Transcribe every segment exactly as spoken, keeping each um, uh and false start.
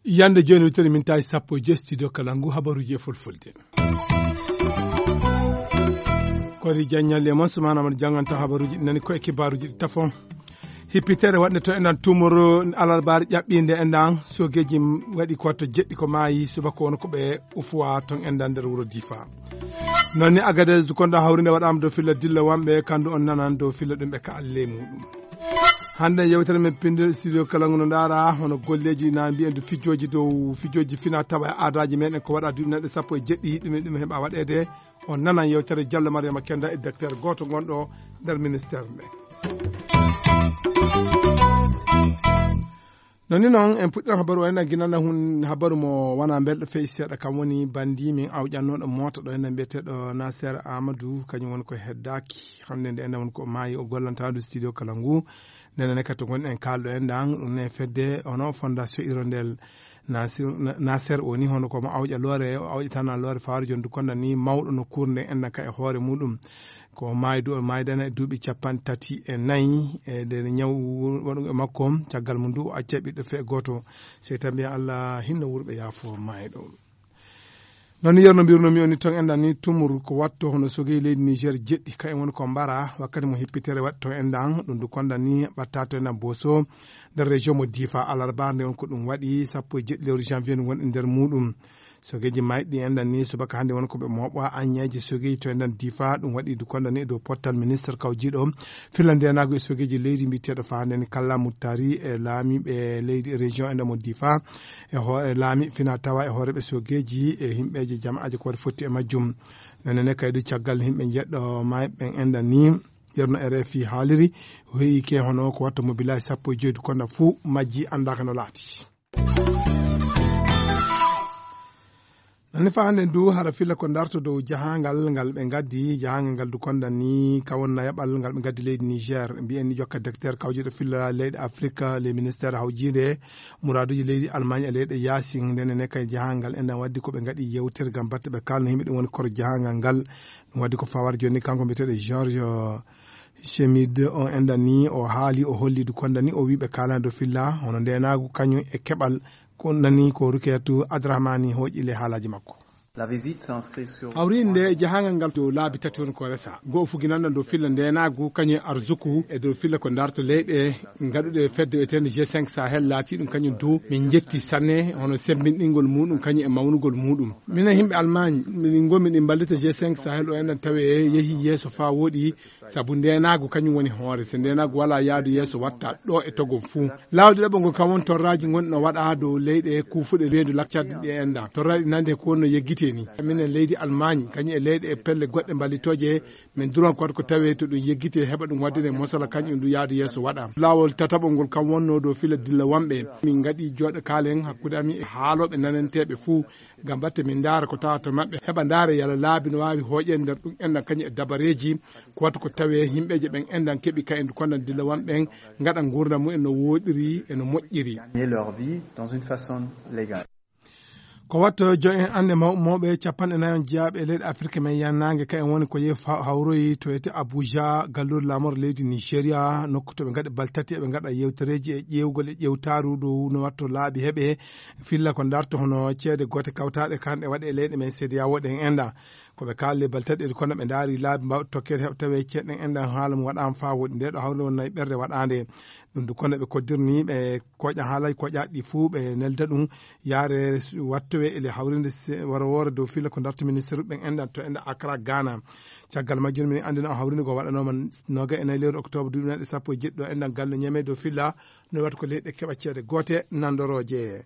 Yande jooni wittere min tawi sappo e joyi studio kala ngu habaruuji e fulfulde. Kori Diagne Lema Soumana Amadou jannganta habaruuji ɗi nani ko e kibaaruuji ɗi tafo. Hippitere waɗnde to enɗan tumoro alarbaare ƴaɓɓiinde enɗan sogeeji waɗi ko to jeɗɗi ko maayi subaka wona ko ɓe ufuwa ton enɗan nder wuro Difa. Noon ni Agadez dukonda hawrinde waɗaama dow filla dilla wamɓe kandu on nanan dow filla ɗum ɓe ka alle muɗum. Hannde yewtere men pinde studio kala ngu no ndaara hono golleeji na mbiyen du fijooji dow fijooji fina tawa e aadaaji meɗen ko waɗa duuɓi neɗɗo sappo e jeɗɗi ɗum e ɗum heɓa waɗeede. On nanan yewtere Diallo Mariama Kenda e docteur gooto gonɗo nder ministère nde. Noni noon en puɗɗiran habaru o enen ginana hun habaru mo wona belɗo feyi seeɗa kam woni bandi min awƴannoɗo moota ɗo enen mbiyeteɗo Nasser Amadou kañum woni ko heddaaki. Hannde nde enen woni ko maayi o gollantaɗo studio kala ngu. Ndenen ne kadi to gonɗen kaalɗo en ɗan ɗum ne fedde hono fondation hirondel Nasir- Na- Nasser o ni hono ko mo awƴa loore o awƴatana loore faaro joni du konda ni mawɗo no kurnde enɗan ka e hoore muɗum. Ko maaydu o maaydana e duuɓi capanɗe tati e nayi e nder ñaw waɗugo e makko. Caggal mum du o acca ɓiɗɗo fee gooto. Sey tan mbiya Allah hinno wurɓe yaafo maayɗo. Noon ni yerno mbirno mi woni toon enɗan ni tumur ko watto hono sogey leydi Niger jeɗɗi ka en woni ko mbara wakkati mo hippitere waɗi toon enɗan ɗum du konda ni ɓatta to enɗan boso. Nder région mo Difa alarba nde on ko ɗum waɗi sappo e jeɗɗi lewru janvier ndu woni e nder muɗum. Sogeeji mayɗi enɗan ni subaka hannde woni ko ɓe mooɓa aññeeji sogeeji to enɗan Difa ɗum waɗi du konda ni e dow pottal ministre kawjiiɗo filla ndenaagu e sogeeji leydi mbiyeteeɗo fa hannde ni kalla muttari e laamiiɓe leydi e région enɗan mo Difa e ho- e laami fina tawa e hooreeɓe sogeeji e himɓeeje jama'aaje ko waɗi fotti e majjum. Nene ne kaydu caggal himɓe jeɗɗo mayɓe enɗan ni yerno R F I haaliri o heyi ke hono ko watta mo bilaji sappo e joyi du konda fuu majji anndaaka no laati. Nani fa hannde du hara filla ko darto dow jahangal ngal ɓe gaddi jahangal ngal du konda ni ka wonna yaɓal ngal ɓe gaddi leydi Niger mbiyen ni jokka docteur kawjiiɗo filla leyɗe Afrique le ministère hawjiinde muraduji leydi Allemagne e leyɗe yaasin ndene ne kay jahangal enɗan waddi ko ɓe gaɗi yewtere gam batte ɓe kalno himɓe ɗum woni koro jahangal ngal. Ɗum waddi ko fawar joni kanko mbiyeteɗo George Chemide on enɗan ni o haali o holli du konda ni o wi ɓe kalani dow filla hono ndenagu kañum e keɓal ko nani ko Rukiyatu Adrahmani hooƴi le haalaji makko. La visite s'inscrit sur hawrinde jahangal ngal dow laabi tati woni ko resa goo fuginanɗo dow filla ndenagu kañum e arzuku e dow filla ko darto leyɗe gaɗuɗe fedde wiyetende G cinq Sahel laati ɗum kañum du min jetti sanne hono sembinɗingol muɗum kañum e mawnugol muɗum. Minen himɓe Allemagne min gomi ɗin mballita G cinq Sahel o enɗan tawe yeehi yeeso fa woɗi. Sabu ndenagu kañum woni hoore so ndenagu wala yaadu yeeso watta ɗo e togon fuu. Lawol ɗiɗaɓo ngo kam won torraji gonɗi no waɗa dow leyɗe kuufuɗe weendu laccade ɗe enɗan torraɗi nande ko wonno yeggite ni. Minen leydi Allemagne kañum e leyɗe e pelle goɗɗe mballitoje min duran ko waɗa ko tawe to ɗum yeggite heɓa ɗum waddane mosala kañum du yaadu yeeso waɗa. Lawol tataɓo ngol kam wonno dow fila dilla wamɓe min gaɗi jooɗo kaalen hakkude amin e haaloɓe nananteɓe fuu. Gam batte min ndaara ko tawata maɓɓe heɓa ndaara yala laabi no waawi hooƴe nder ɗum enɗan kañum e dabareeji ko wata ko tawe himɓeeje ɓen enɗan keɓi ka en kondan dillawan ɓen ngaɗa nguurndam mum en no wooɗiri e no moƴƴiri. Gagner leur vie dans une façon légale. Ko watto jo en annde mawɓe mawɓe capanɗe nayon jeyaaɓe e leyɗe Afirka men yannange ka en woni ko yehi fa- hawroyi to ete Abuja galluure laamoro leydi Nigeria nokku to ɓe ngaɗi baltati eɓe ngaɗa yewtereeji e ƴeewgol e ƴewtaaru dow no watto laabi heɓe filla ko darto hono ceede goote kawtaaɗe kanɗe waɗe e leyɗe men seediyawo ɗen enɗan. Ko ɓe kaalde baltaɗe kono ɓe ndaari laabi mbawɗi tokkeede heɓa tawe ceeɗen enɗan haala mum waɗaama faa woɗi nde ɗo hawri won nayi ɓerde waɗaande. Ɗum du kono ɓe koddirni ɓe koƴa haalaji koƴaaɗi ɗi fuu ɓe nelda ɗum yaare wattowe ele hawrinde wara woore dow filla ko darto ministre ɓen enɗan to enɗan Accra Ghana. Caggal majjum min anndina o hawrinde ko waɗanooma noga e nayi lewru octobre duuɓi nayi sappo e jeɗɗi ɗo enɗan galle ñame dow filla no waɗi ko leyɗe keɓa ceede goote nandorooje.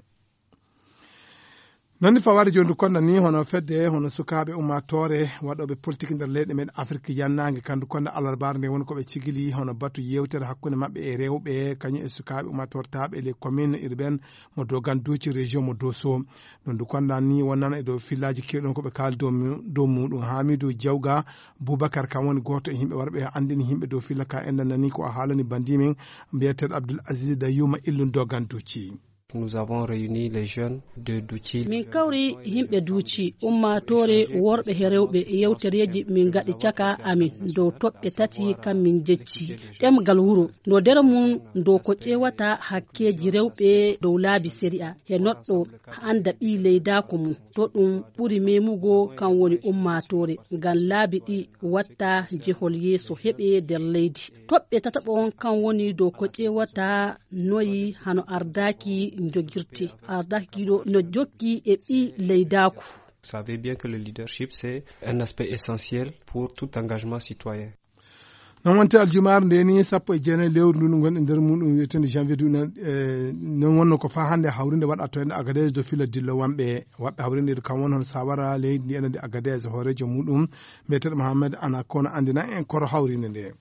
Noon ni fawaade jooni du konda ni hono fedde hono sukaaɓe ummaatoore waɗooɓe politique nder leyɗe men Afirka yannaange kandu konda alarbaare nde woni ko ɓe cigili hono batu yewtere hakkunde maɓɓe e rewɓe kañum e sukaaɓe ummaatoore taaɓe les communes urbaines mo Doganduci région mo Dosso. Ɗum du konda ni wonnana e dow fillaaji keewɗon ko ɓe kaali dow mu- dow muɗum Hamidou Diawga Boubacar kam woni gooto e yimɓe warɓe anndini yimɓe dow filla ka enɗan nani ko a haalani bandi men mbiyeteeɗo Abdoul Aziz Dayuma illum Doganduci. Nous avons réuni les jeunes de Ducci. Min kawri yimɓe Ducci, ummaatoore worɓe he rewɓe, yewtereeji min ngaɗi caka amin dow toɓɓe tati kam min jecci. Ɗemgal wuro, no nder mum dow ko ƴeewata hakkeeji rewɓe dow laabi sariya, he noɗɗo annda ɓii leydaako mum. To ɗum ɓuri memugo kan woni ummaatoore, ngam laabi ɗi watta jehol yeeso heɓe nder leydi. Toɓɓe tataɓo on kan woni dow ko ƴeewata noyi hano ardaaki jogirte. Ardaaki ɗo no jokki e ɓii leydaaku. Vous savez bien que le leadership, c'est un aspect essentiel pour tout engagement citoyen. Non wonte aljumaare nde ni sappo e jeenayi lewru ndu ndu ngonɗen nder muɗum wiyetende janvier du, eh, non wonno ko faa hannde hawrinde waɗa to ende Agadez do fila dillo wamɓe waɓɓe hawrinde kam won hono sawara leydi ndi enande Agadez hoorejo muɗum mbiyeteɗo Mohamed Anakona andina en koro hawrinde nde.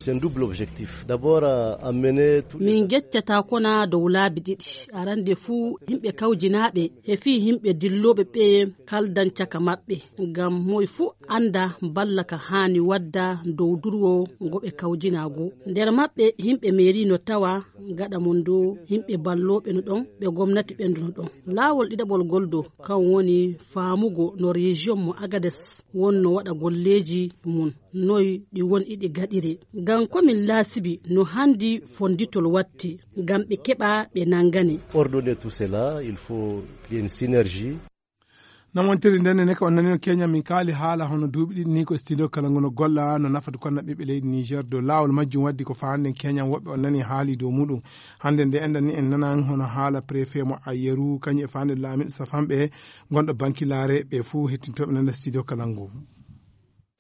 C'est un double objectif. D'abord, euh, amener tous les Min geccata kona dow laabi ɗiɗi. Arande fuu yimɓe kawjinaaɓe he fii yimɓe dillooɓe ɓe kaldan caka maɓɓe. Ngam moy fuu annda balla ka haani wadda dow durwo ngo ɓe kawjinaa go. Nder maɓɓe yimɓe meeri no tawa gaɗa mon do yimɓe ballooɓe no ɗon, ɓe gomnati ɓen no ɗon. Laawol ɗiɗaɓol gol do kan woni faamugo no région mo Agades wonno waɗa golleeji mum. Noy ɗi woni iɗi gaɗiri. Ngam ko min laasibi no handi fonditol watti, ngam ɓe keɓa ɓe nangane. Coordonner tout cela, il faut qu'il y ait une synergie. Namontiri nden ne ko on nanino Kenya min kaali haala hono duuɓi ɗiɗi ni ko studio kala ngono golla no nafata konna ɓiɓɓe leydi Niger dow laawol majjum waddi ko faanden Kenya woɓɓe on nani haali dow muɗum. Hande nde enɗan ni en nanan hono haala préfet mo Ayeru kañum e faanden laamiɗo safanɓe gonɗo bankilaare ɓe fuu hettintoɓe nana studio kala ngu.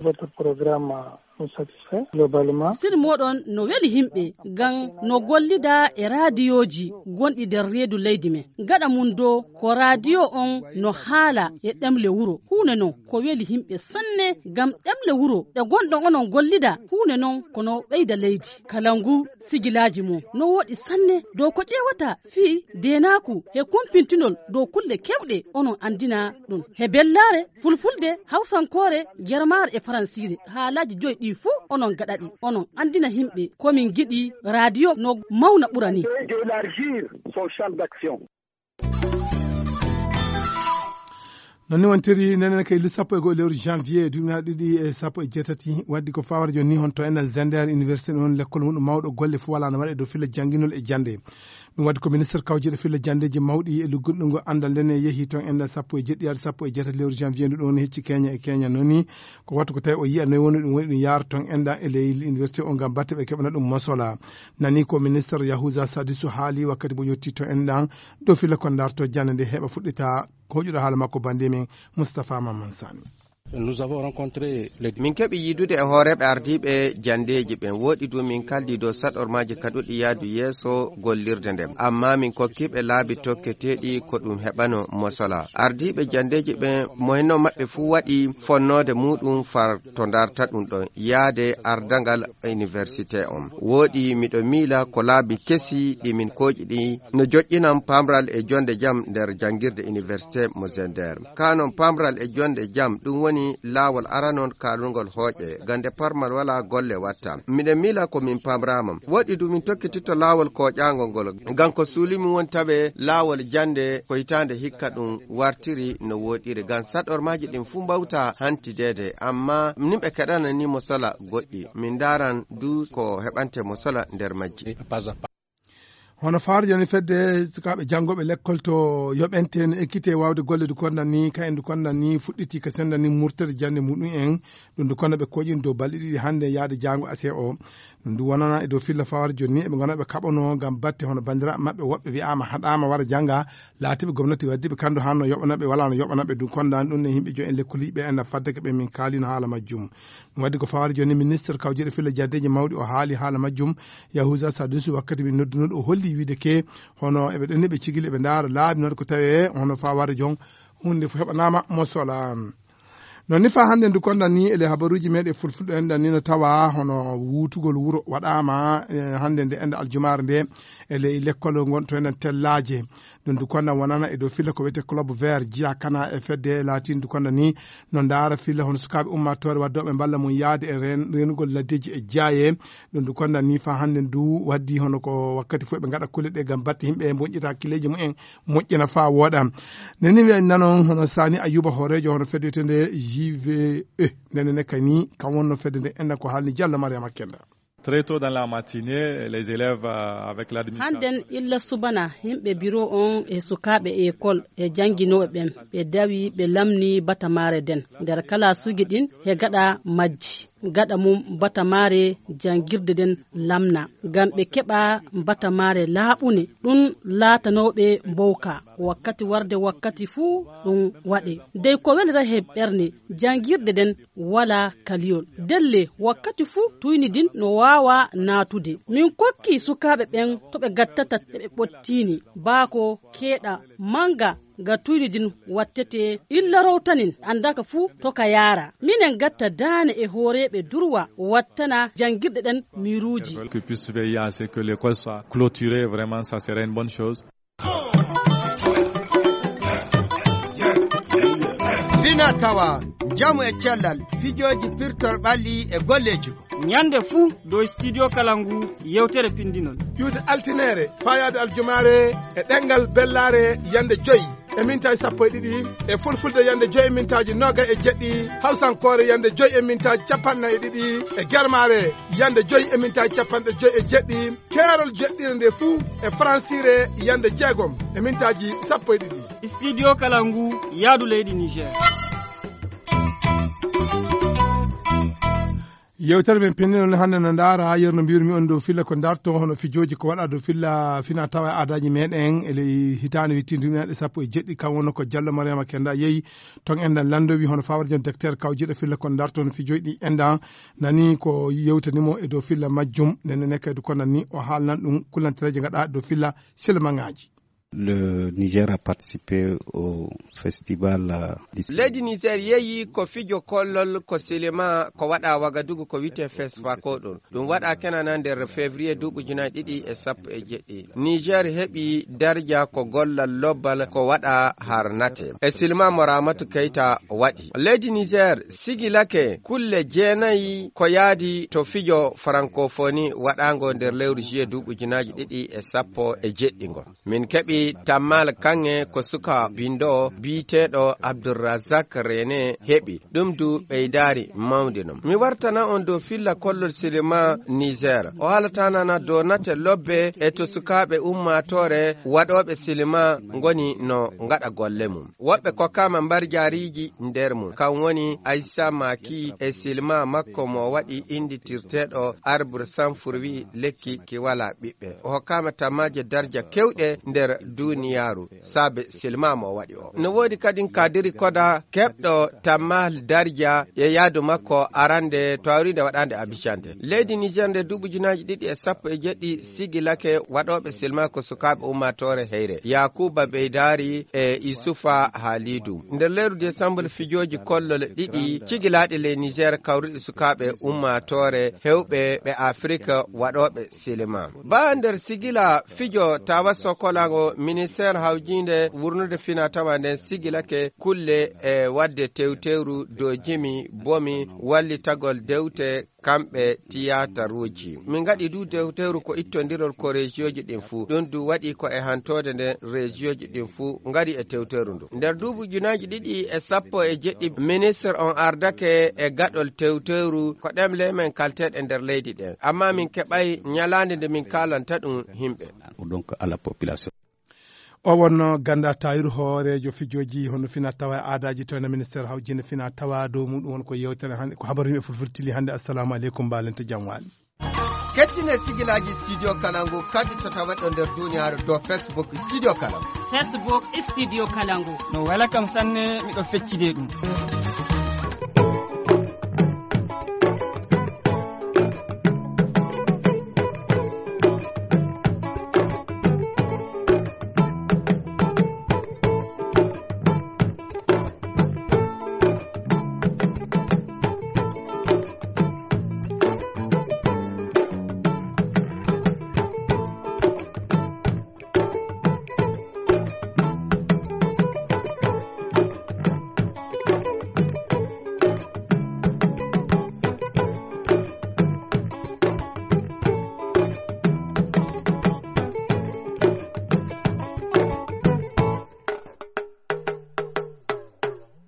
Votre programme nous satisfait globalement. Sir moɗon no weli himɓe ngam no gollida e raadiyooji gonɗi nder reedu leydi men. Gaɗa mum do ko raadiyo on no haala e ɗemle wuro. Huunde non ko weli himɓe sanne ngam ɗemle wuro ɗe gonɗon onon gollida. Huunde non ko no ɓeyda leydi. Kala ngu sigilaaji mum no woɗi sanne dow ko ƴeewata fii deenaaku he kumpintinol dow kulle kewɗe onon anndina ɗum. He bellaare, fulfulde, hawsankoore, germaare e faransiire, haalaaji joyi ɗi fuu onon gaɗaɗi. Onon anndina himɓe ko min giɗi raadiyo no mawna ɓura ni. D'élargir son champ d'action. Non ni wontiri nenen kay lu sappo e go'o lewru janvier duuɓi na ɗiɗi e sappo e jeetati waddi ko fawara joni ni honto enɗan zender université ɗon lekkol muɗum mawɗo golle fof wala no waɗe dow filla jannginol e jannde. Ɗum waddi ko ministre kawjeɗo filla janndeji mawɗi e luggunɗo ngo anndal nden e yehi toon enɗan sappo e jeɗɗi yaade sappo e jeetati lewru janvier ndu ɗon hecci keña e keña noon ni ko wattu ko tawi o yiya noy woni ɗum woni ɗum yaara toon enɗan e ley université o ngam batte ɓe keɓana ɗum mosola. Nani ko ministre yahusa sadisu haali wakkati mo yetti to enɗan dow filla kon darto jannde nde heɓa fuɗɗita. Ko hoƴuɗo haala makko bande men mustapha mamman sani. Nous avons rencontré les min keɓi yiidude e hooreeɓe ardiiɓe janndeeji ɓen woɗi du min kaldi dow saɗormaaji kaɗuɗi yaadu yeeso gollirde nden amma min kokkiiɓe laabi tokketeeɗi ko ɗum heɓano mosola. Ardiiɓe janndeeji ɓen mo henno maɓɓe fuu waɗi fonnoode muɗum far to ndarta ɗum ɗon yaade ardangal université on. Woɗi miɗo miila ko laabi kesi ɗi min kooƴi ɗi no joƴƴinan pamral e jonde jam nder janngirde université mo zender. Ka non pamral e jonde jam ɗum woni laawol aranon kaalungol hooƴe gande parmal wala golle watta. Miɗen miila ko min pamrama woɗi du min tokkititto laawol kooƴaangol ngol ngam ko suuli mum woni tawe laawol jannde ko hitaande hikka ɗum wartiri no woɗiri ngam saɗormaaji ɗin fuu mbawta hantideede amma nimɓe keɗanani mo sola goɗɗi min ndaran du ko heɓante mo sola nder majji. Hono faarjo ni fedde sukaaɓe janngooɓe lekkol to yoɓente no ekkite waawde golle du kondan ni kayen du kondan ni fuɗɗiti ka senda ni murtere jannde muɗum en. Ɗum du konda ɓe koƴin dow balɗe ɗiɗi hannde yaade jaango ase o. Ɗum du wonana e dow filla faarjo ni eɓe gona ɓe kaɓono ngam batte hono banndiraaɓe maɓɓe woɓɓe wi'aama haɗaama wara jannga. Laatiiɓe gomnati waddiiɓe kandu hanno yoɓanaɓe wala no yoɓanaɓe du kondan ɗum ne yimɓe jo en lekkoliiɓe en faddeke ɓe min kaalino haala majjum. Ɗum waddi ko fawaade jooni ministre kawjeeɗo filla jaddeeji mawɗi o haali haala majjum. Yahusa sadusi wakkati min noddunoɗo o holli wiide ke hono eɓe ɗenni ɓe cigili eɓe ndaara laabi noon ko tawe hono fawaade joon. Hunde fof heɓanaama mo sola. Noon ni faa hannde ndu kondan ni e ley habaruuji meeɗen fulfulɗo enɗan ni no tawa hono wuutugol wuro waɗaama, eh, hannde nde enɗan aljumaare nde e ley lekkol ngon to enɗan tellaaje. Ɗum ndu kondan wonana e dow filla ko wiyetee Club Vert Jiya Kana e fedde laatin ndu kondan ni no ndaara filla hono sukaaɓe ummaatoore waddooɓe mballa mum yahde e reen-, reenugol laddeeji e jaaye. Ɗum ndu kondan ni faa hannde ndu waddi hono ko wakkati fof ɓe ngaɗa kulle ɗe ngam batte yimɓe moƴƴita hakkileeji mumen moƴƴina faa wooɗa. Nde ni wiya nanon hono Sani Ayuba hooreejo hono fedde wiyetee J V E. Nde ne kay ni kam wonno fedde nde enɗan ko haalni Diallo Mariama Kenda. Très tôt dans la matinée, les élèves, euh, avec l'administration. Hannden illa subana, yimɓe biro on e sukaaɓe e école e jannginooɓe ɓen, ɓe dawi, ɓe lamni batamaare den. Nder kalaasuuji ɗin, he gaɗa majji. Gaɗa mum batamaare janngirde den lamna. Ngam ɓe keɓa batamaare laaɓune, ɗum laatanooɓe mbowka. Wakkati warde wakkati fuu ɗum waɗe. Dey ko welata he ɓerne, janngirde den walaa kaliyol. Delle, wakkati fuu tuyni din no waawa naatude. Min kokki sukaaɓe ɓen to ɓe gattata ɓe ɓottini. Baako keeɗa manga ga tuyni din wattete illa rowtanin, andaka fuu to ka yaara. Minen gatta daane e hooreeɓe durwa wattana janngirɗe ɗen miiruuji. Que puisse veiller à ce que l'école soit clôturée, vraiment, ça serait une bonne chose. Fina tawa, njamu e cellal, fijooji pirtol ɓalli e golleeji. Ñande fuu dow Studio Kalangu yewtere pinndinol. Ƴuwde altineere, faayaade aljumaare e ɗemngal bellaare yande joy e mintaaji sappo e ɗiɗi, e fulfulde yande joy e mintaaji noogay e jeɗɗi, hawsankoore yande joy e mintaaji capanɗe nayi e ɗiɗi, e germaare yande joy e mintaaji capanɗe joy e jeɗɗi, keerol jeɗɗire nde fuu e faransiire yande jeegom e mintaaji sappo e ɗiɗi. Studio Kalangu, yaadu leydi Niger. Yewtere men pinndinol hannde no ndaara yeru no mbiyru mi on dow filla ko ndarto hono fijooji ko waɗa dow filla fina tawa e aadaaji meɗen e ley hitaande wittindu ujunaaji ɗiɗi e sappo e jeɗɗi, kam wonno ko Diallo Mariama Kenda yehi ton enɗan lanndo wi hono fawarjo docteur kawjiɗo filla ko ndarto hono fijooji ɗi enɗan nani ko yewtani mo e dow filla majjum. Nde nene kaydu ko nan ni o haalnan ɗum kullantereeje ngaɗa dow filla silmaŋaaji. Le Niger a participé au festival, euh, du Leydi Niger yeeyi ko fijo kollol ko silima ko waɗa Wagadugu ko wiyetee Fesfako ɗum. Ɗum waɗa kenana nder février duuɓi ujunaaji ɗiɗi e sappo e jeɗɗi. Niger heɓi darja ko gollal lobbal ko waɗa har nate. E silima mo Ramatu Keita waɗi. Leydi Niger sigilake kulle jeenayi ko yaadi to fijo francophonie waɗaango nder lewru juillet duuɓi ujunaaji ɗiɗi e sappo e jeɗɗi ngo. Min keɓi Tammal Kaŋŋe ko suka binndoowo biyeteeɗo Abdulrazak Rene heɓi. Ɗum du ɓeydaari mawde non. Mi wartana on dow filla kollol silima Niger. O haalata nana dow nate lobbe e to sukaaɓe ummaatoore waɗooɓe silima ngoni no ngaɗa golle mum. Woɓɓe kokkaama mbarjaariiji nder mum. Kam woni Aissa Maki e silima makko mo waɗi innditirteeɗo Arbre sans fruit, lekki ki walaa ɓiɓɓe. O hokkaama tammaaje darja kewɗe nder duniyaaru saabe silima mo o waɗi o. No woodi kadin Kadiri Koda keɓɗo tammaal darja e yaadu makko arande tawrinde waɗaande Abidjan nde. Leydi Niger nde duuɓi ujunaaji ɗiɗi e sappo e jeɗɗi sigilake waɗooɓe silima ko sukaaɓe ummaatoore heyre. Yakuba Beydari e Isufa Halidu. Nder lewru décembre fijooji kollol ɗiɗi cigilaaɗi ley Niger kawruɗi sukaaɓe ummaatoore hewɓe ɓe Afirika waɗooɓe silima. Baa nder sigila fijo tawa sokolango ministeer hawjiinde wurnude fina tawa nden sigilake kulle e waɗde tewtewru dow jimi bomi wallitagol dewte kamɓe tiyataruuji. Min ngaɗi du dewtewru ko ittondirol ko rejiyooji ɗin fuu. Ɗum du waɗi ko e hantoode nden rejiyooji ɗin fuu ngari e tewtewru ndu. Nder duuɓi ujunaaji ɗiɗi e sappo e jeɗɗi, ministre on ardake e gaɗol tewtewru ko ɗemle men kalteeɗe nder leydi ɗen. Amma min keɓay ñalaande nde min kaalanta ɗum yimɓe. Donc, à la population. O wonno Ganda Tayiru, hooreejo fijooji hono fina tawa e aadaaji to ena ministeer hawjinde fina tawa dow muɗum won ko yewtere hannde, ko habaru yimɓe fulfulde tili hannde. Assalamu aleykum, mbaalente jam waali. Kettine sigilaaji Studio Kalangu kadi to tawa ɗo nder duniyaaru dow Facebook Studio Kalangu. Facebook Studio Kalangu. No wela kam sanne, miɗo feccide ɗum.